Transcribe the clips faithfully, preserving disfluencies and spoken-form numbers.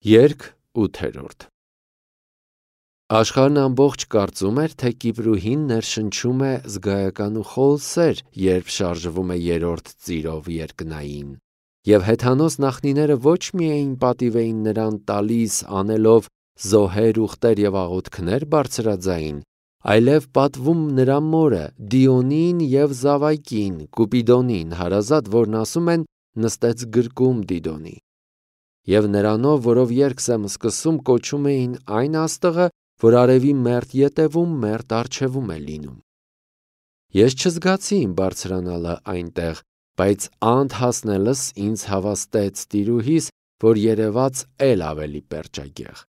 Երգ ութերորդ Աշխարհն ամբողջ կարծում էր, թե Կիպրուհին ներշնչում է զգայական ու խոլ սեր, երբ շարժվում է երրորդ ծիրով երկնային, և հեթանոս նախնիները ոչ միայն պատիվ էին նրան տալիս անելով զոհեր, ուղտեր և աղոթքներ բարձրաձայն, այլև պատվում նրա մորը Դիոնին և Զավակին, Կուպիդոնին հարազատ, որն ասում են նստեց գրկում Դիդոնի։ Եվ նրանով, որով երգս եմ սկսում, կոչում էին այն աստղը, որ արևի մերթ ետևում մերթ առջևում է լինում։ Ես չզգացի իմ բարձրանալը այնտեղ, բայց անդ հասնելս ինձ հավաստեց տիրուհիս, որ երևաց էլ ավելի պերճագեղ։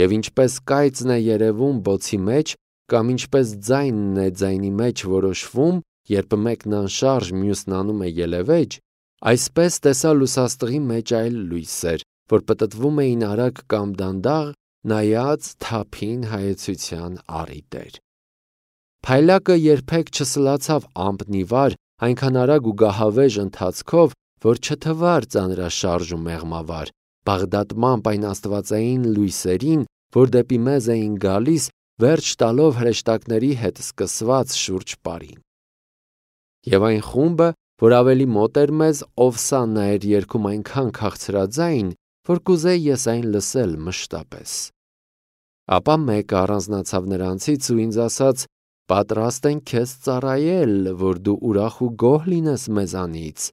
Եվ ինչպես կայծն է երևում բոցի մեջ, կամ ինչպես ձայնն է ձայնի մեջ որոշվում, երբ մեկն անշարժ, մյուսն անում է ելևեջ, այսպես տեսա լուսաստղի մեջ այլ լույսեր, որ պտտվում էին արագ կամ դանդաղ, նայած թափին հայեցության առիթ էր։ Փայլակը երբեք չսլացավ ամպնիվար, այնքան արագ ու գահավեժ ընթացքով, որ չթվար ծանրաշարժ ու մեղմավար, բաղդատմամբ այն աստվածային լույսերին, որ դեպի մեզ էին գալիս, վերջ տալով հրեշտակների հետ սկսված շուրջ պարին։ Եվ այն խումբը, որ ավելի մոտ էր մեզ, Օվսաննա էր երգում այնքան քաղցրաձայն, որ կուզեի ես այն լսել մշտապես։ Ապա մեկը առանձնացավ նրանցից ու ինձ ասաց. «Պատրաստ ենք քեզ ծառայել, որ դու ուրախ ու գոհ լինես մեզանից։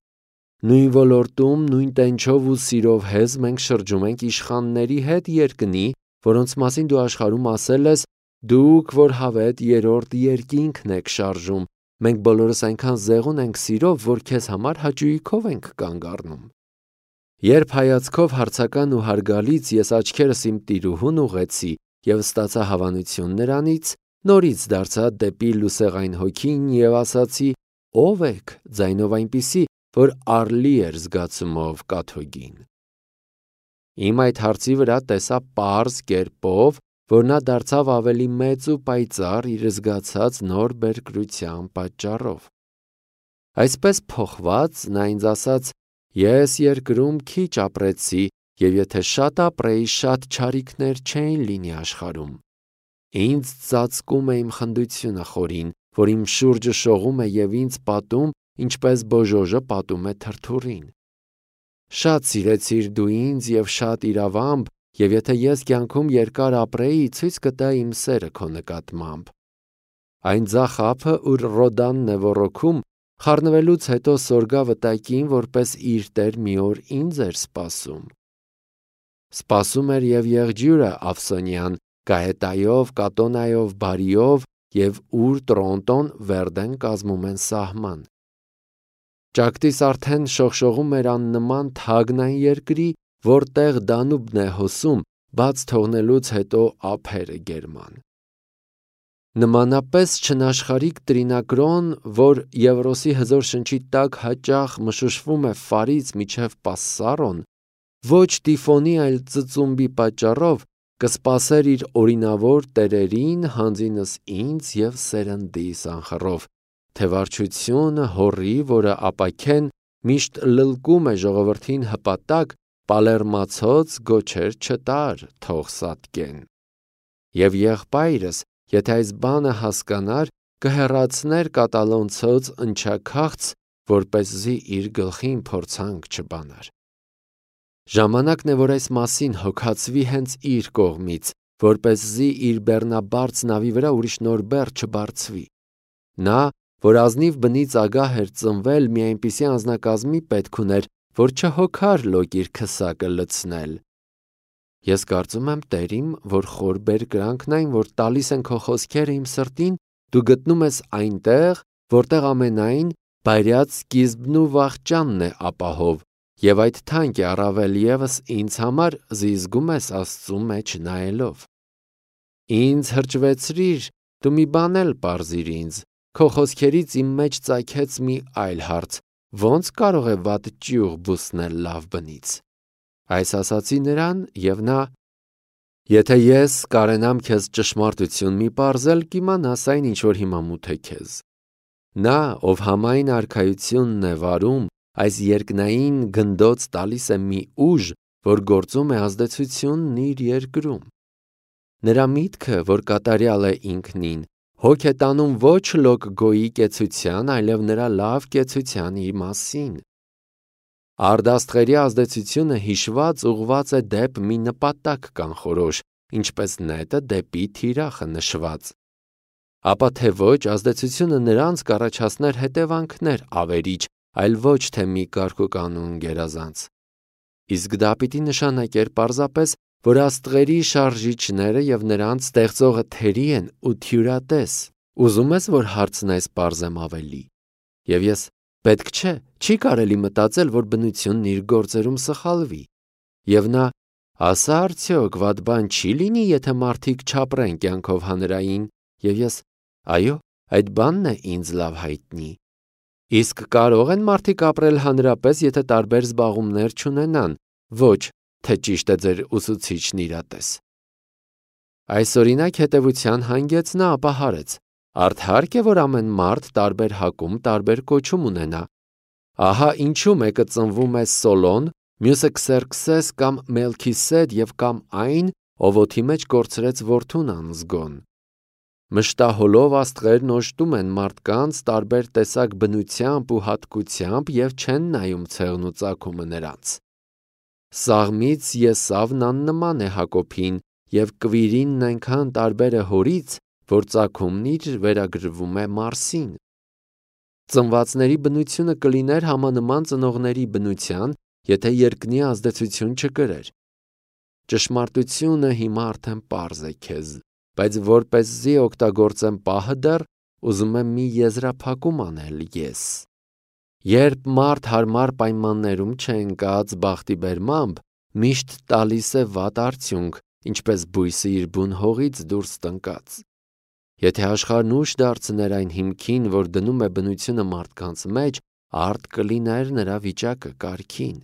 Նույն ոլորտում, նույն տենչով ու սիրով հեզ մենք շրջում ենք իշխանների հետ երկնի, որոնց մասին դու աշխարհում ասել ես. դուք, որ հավետ երրորդ երկինքն եք շարժում, մենք բոլորս այնքան զեղուն ենք սիրով, որ քեզ համար հաճույքով ենք կանգ առնում»։ Երբ հայացքով հարցական ու հարգալից ես աչքերս իմ տիրուհուն ուղղեցի և ստացա հավանություն նրանից, նորից դարձա դեպի լուսեղային հոգին և ասացի. «Ո՞վ եք» ձայնով այնպիսի, որ առլի էր զգացումով կաթողին։ Իմ այդ հարցի վրա տեսա պարզ կերպով, որ նա դարձավ ավելի մեծ ու պայծառ իր զգացած նոր բերկրության պատճառով։ Այսպես փոխված, նա ինձ ասաց. «Ես երկրում քիչ ապրեցի, և եթե շատ ապրեի, շատ չարիքներ չէին լինի աշխարհում։ Ինձ ծածկում է իմ խնդությունը խորին, որ իմ շուրջը շողում է և ինձ պատում, ինչպես բոժոժը պատում է թրթուրին։ Շատ սիրեցիր դու ինձ և շատ իրավամբ, և եթե ես կյանքում երկար ապրեի, ցույց կտայի իմ սերը քո նկատմամբ։ Այն ձախ ափը, ուր Ռոդանն է ոռոգում, խառնվելուց հետո սորգա վտակին, որպես իր տեր մի օր ինձ էր սպասում։ Սպասում էր և եղջյուրը Ավսոնյան, Գահետայով, Կատոնայով, Բարիով, և ուր Տրոնտոն, Վերդեն կազմում են սահման։ Ճակտիս արդեն շողշողում էր աննման թագն այն երկրի, որտեղ Դանուբն է հոսում, բաց թողնելուց հետո ափերը գերման։ Նմանապես չնաշխարհիկ տրինակրոն, որ Եվրոսի հզոր շնչի տակ հաճախ մշուշվում է Ֆարից մինչև Պասսարոն, ոչ Տիֆոնի, այլ ծծումբի պատճառով, կսպասեր իր օրինավոր տերերին, հանձինս ինձ և սերնդիս անխռով, թե վարչությունը հոռի, որը ապաքեն միշտ լլկում է ժողովրդին հպատակ, պալերմացոց գոչեր չտար, թող սատկեն։ Եվ եղբայրս, եթե այս բանը հասկանար, կհեռացներ կատալոնցոց ընչաքաղց, որպեսզի իր գլխին փորձանք չբանար։ Ժամանակն է, որ այս մասին հոգացվի հենց իր կողմից, որպեսզի իր բեռնաբարդ նավի վրա ուրիշ նոր բեռ չբարձվի։ Նա, որ ազնիվ բնից ագահ էր ծնվել, մի այնպիսի անձնակազմի պետք ուներ, որ չհոգար լոկ իր քսակը լցնել։ Ես կարծում եմ, Տերիմ, որ խոր բերկրանքն այն, որ տալիս են քո խոսքերը իմ սրտին, դու գտնում ես այնտեղ, որտեղ ամենայն բայրյաց սկիզբն ու վախճանն է ապահով, և այդ թանկ է առավել ևս ինձ համար, զիզգում ես Աստծու մեջ նայելով։ Ինձ հրճվեցրիր, դու մի բան էլ պարզիր ինձ, քո խոսքերից իմ մեջ ծագեց մի այլ հարց. ո՞նց կարող է վատ ճյուղ բուսնել լավ բնից։ Այս ասացի նրան, և նա. «Եթե ես կարենամ քեզ ճշմարտություն մի պարզել, կիմանաս այն, ինչ որ հիմա մութ է քեզ։ Նա, ով համայն արքայությունն է վարում, այս երկնային գնդոց տալիս է մի ուժ, որ գործում է ազդեցությունն իր երկրում։ Նրա միտքը, որ կատարյալ է ինքնին, հոգ է տանում ոչ լոկ գոյի կեցության, այլև նրա լավ կեցության մասին։ Արդաստղերի ազդեցությունը հիշված ուղղված է դեպ մի նպատակ կանխորոշ, ինչպես նետը դեպի թիրախը նշված։ Ապա թե ոչ ազդեցությունը նրանց կառաջացներ հետևանքներ ավերիչ, այլ ոչ թե մի կարգուկանոն գերազանց։ Իսկ դա պիտի նշանակեր պարզապես, որ աստղերի շարժիչները և նրանց ստեղծողը թերի են ու թյուրատես։ Ուզում ես, որ հարցն այս պարզեմ ավելի։ Եվ ես պետք չէ, չի կարելի մտածել, որ բնությունն իր գործերում սխալվի։ Եվ նա ասա արդյոք վատ բան չի լինի, եթե մարդիկ չապրեն կյանքով հանրային, և ես այո, այդ բանն է ինձ լավ հայտնի։ Իսկ կարող են մարդիկ ապրել հանրապես, եթե տարբեր զբաղումներ չունենան, ոչ, թե ճիշտ է ձեր ուսուցիչն իրատես։ Այս օրինակ հետևության հանգեց նա ապա հարեց. արդարք է, որ ամեն մարդ տարբեր հակում տարբեր կոչում ունենա։ Ահա ինչու մեկը ծնվում է Սոլոն, մյուսը Քսերքսես կամ Մելքիսեդ և կամ այն, ով օդի մեջ կորցրեց որդուն անզգոն։ Մշտահոլով աստղերն օժտում են մարդկանց տարբեր տեսակ բնությամբ ու հատկությամբ և չեն նայում ցեղն ու ծագումը նրանց։ Սաղմից Եսավն աննման է Հակոբին, և Կվիրինն այնքան տարբեր է հորից, որ ծագումն իր վերագրվում է Մարսին։ Ծնվածների բնությունը կլիներ համանման ծնողների բնության, եթե երկնի ազդեցություն չկրեր։ Ճշմարտությունը հիմա արդեն պարզ է քեզ, բայց որպեսզի օգտագործեմ պահը դեռ, ուզում եմ մի եզրափակում անել ես։ Երբ մարդ հարմար պայմաններում չընկած բախտի բերմամբ, միշտ տալիս է վատ արդյունք, ինչպես բույսը իր բուն հողից դուրս տնկած։ Եթե աշխարհն ուշ դարձներ այն հիմքին, որ դնում է բնությունը մարդկանց մեջ, արդ կլիներ նրա վիճակը կարգին։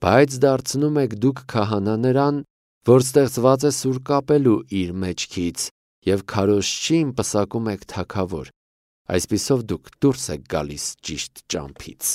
Բայց դարձնում եք դուք քահանա նրան, որ ստեղծված է սուր կապելու իր մեջքից, և քարոզչին պսակում եք թագավոր, այսպիսով դուք դուրս եք գալիս ճիշտ ճամփից։